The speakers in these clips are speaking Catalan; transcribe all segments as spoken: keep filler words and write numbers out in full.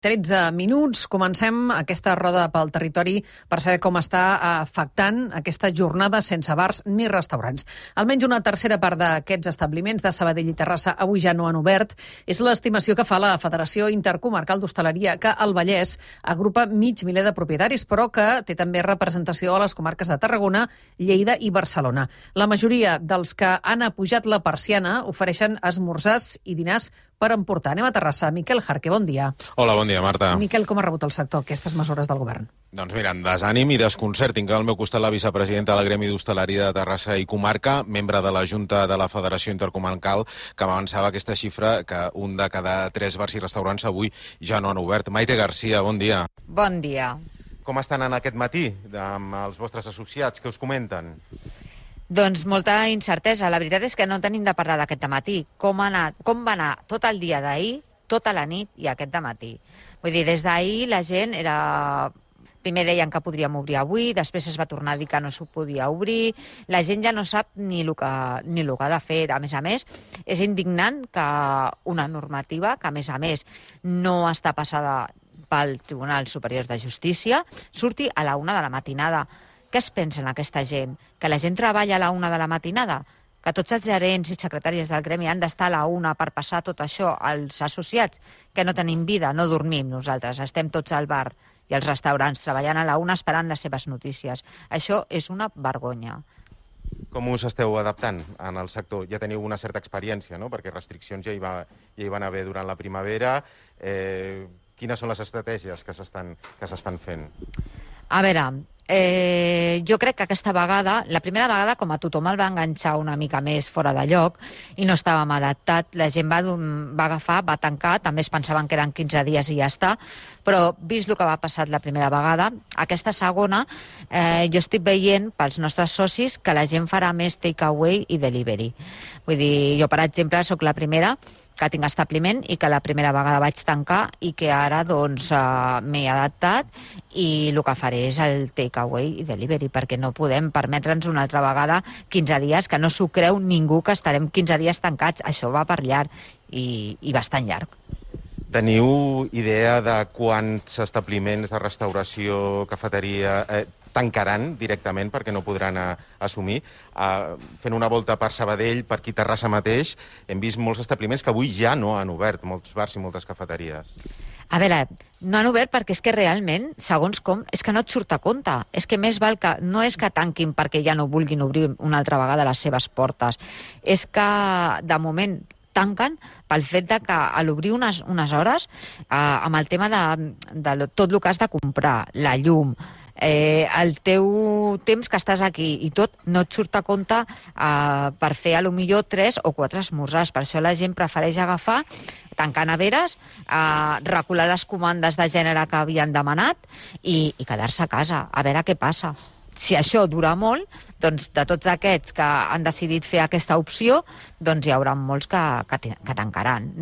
tretze minuts. Comencem aquesta roda pel territori per saber com està afectant aquesta jornada sense bars ni restaurants. Almenys una tercera part d'aquests establiments de Sabadell i Terrassa avui ja no han obert. És l'estimació que fa la Federació Intercomarcal d'Hostaleria, que al Vallès agrupa mig miler de propietaris, però que té també representació a les comarques de Tarragona, Lleida i Barcelona. La majoria dels que han apujat la persiana ofereixen esmorzars i dinars per emportar. Anem a Terrassa. Miquel Jarque, bon dia. Hola, bon dia, Marta. Miquel, com ha rebut el sector aquestes mesures del govern? Doncs mira, amb desànim i desconcert. Tinc al meu costat la vicepresidenta del Gremi d'Hostaleria de Terrassa i Comarca, membre de la Junta de la Federació Intercomarcal, que m'avançava aquesta xifra que un de cada tres bars i restaurants avui ja no han obert. Maite Garcia, bon dia. Bon dia. Com estan en aquest matí amb els vostres associats? Què us comenten? Doncs molta incertesa. La veritat és que no tenim de parlar d'aquest dematí. Com, ha anat, com va anar tot el dia d'ahir, tota la nit i aquest dematí. Vull dir, des d'ahir la gent era... Primer deien que podríem obrir avui, després es va tornar a dir que no s'ho podia obrir. La gent ja no sap ni el que, ni el que ha de fer. A més a més, és indignant que una normativa que, a més a més, no està passada pel Tribunal Superior de Justícia surti a la una de la matinada. Què es pensa en aquesta gent? Que la gent treballa a la una de la matinada? Que tots els gerents i secretaris del gremi han d'estar a la una per passar tot això als associats? Que no tenim vida, no dormim nosaltres, estem tots al bar i als restaurants treballant a la una esperant les seves notícies. Això és una vergonya. Com us esteu adaptant en el sector? Ja teniu una certa experiència, no? Perquè restriccions ja hi, va, ja hi van haver durant la primavera. Eh, quines són les estratègies que s'estan que s'estan fent? A veure, eh, jo crec que aquesta vegada, la primera vegada, com a tothom el va enganxar una mica més fora de lloc i no estàvem adaptat, la gent va, va agafar, va tancar, també es pensaven que eren quinze dies i ja està, però vist el que va passar la primera vegada, aquesta segona, eh, jo estic veient pels nostres socis que la gent farà més takeaway i delivery. Vull dir, jo, per exemple, sóc la primera que tinc establiment i que la primera vegada vaig tancar i que ara doncs uh, m'he adaptat i el que faré és el takeaway i delivery, perquè no podem permetre'ns una altra vegada quinze dies, que no s'ho creu ningú que estarem quinze dies tancats. Això va per llarg i, i bastant llarg. Teniu idea de quants establiments de restauració, cafeteria... Eh, tancaran directament perquè no podran a, assumir. Uh, fent una volta per Sabadell, per aquí Terrassa mateix, hem vist molts establiments que avui ja no han obert, molts bars i moltes cafeteries. A veure, no han obert perquè és que realment, segons com, és que no et surt a compte. És que més val que... No és que tanquin perquè ja no vulguin obrir una altra vegada les seves portes. És que, de moment, tanquen pel fet de que a l'obrir unes, unes hores, eh, amb el tema de, de tot el que has de comprar, la llum, Eh, el teu temps que estàs aquí i tot no et surt a compte eh, per fer a lo millor tres o quatre esmorzars. Per això la gent prefereix agafar, tancar neveres, eh, recular les comandes de gènere que havien demanat i, i quedar-se a casa, a veure què passa. Si això dura molt, doncs de tots aquests que han decidit fer aquesta opció, doncs hi haurà molts que, que, que tancaran.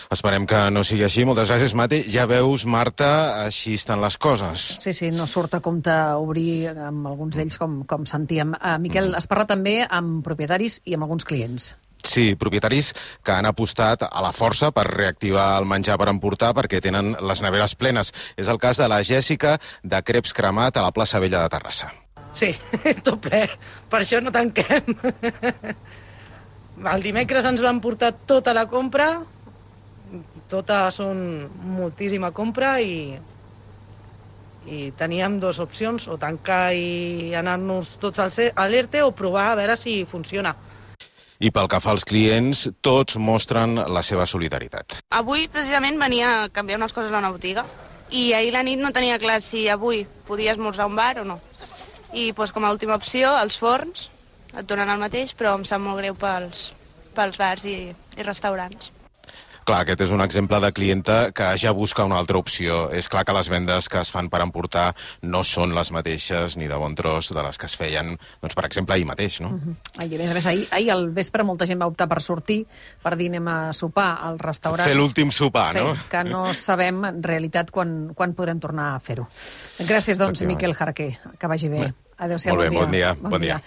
Esperem que no sigui així. Moltes gràcies, Mate. Ja veus, Marta, així estan les coses. Sí, sí, no surt a compte obrir amb alguns d'ells, com, com sentíem. Uh, Miquel, has parlat també amb propietaris i amb alguns clients. Sí, propietaris que han apostat a la força per reactivar el menjar per emportar perquè tenen les neveres plenes. És el cas de la Jèssica de Creps Cremat a la plaça Vella de Terrassa. Sí, tot ple. Per això no tanquem. El dimecres ens van portar tota la compra, tota són moltíssima compra i, i teníem dues opcions, o tancar i anar-nos tots al l'ERTE o provar a veure si funciona. I pel que fa als clients, tots mostren la seva solidaritat. Avui, precisament, venia a canviar unes coses a una botiga i ahir la nit no tenia clar si avui podia esmorzar a un bar o no. I doncs, com a última opció, els forns et donen el mateix, però em sap molt greu pels, pels bars i, i restaurants. Clar, aquest és un exemple de clienta que ja busca una altra opció. És clar que les vendes que es fan per emportar no són les mateixes ni de bon tros de les que es feien, doncs, per exemple, ahir mateix, no? Uh-huh. Ahir, a més, ahir, ahir al vespre molta gent va optar per sortir, per dir anem a sopar al restaurant. Fer l'últim sopar, sí, no? Que no sabem, en realitat, quan, quan podrem tornar a fer-ho. Gràcies, doncs, Miquel Jarque. Que vagi bé. Adéu-siau, bon dia. Molt bé, bon dia. Bon dia.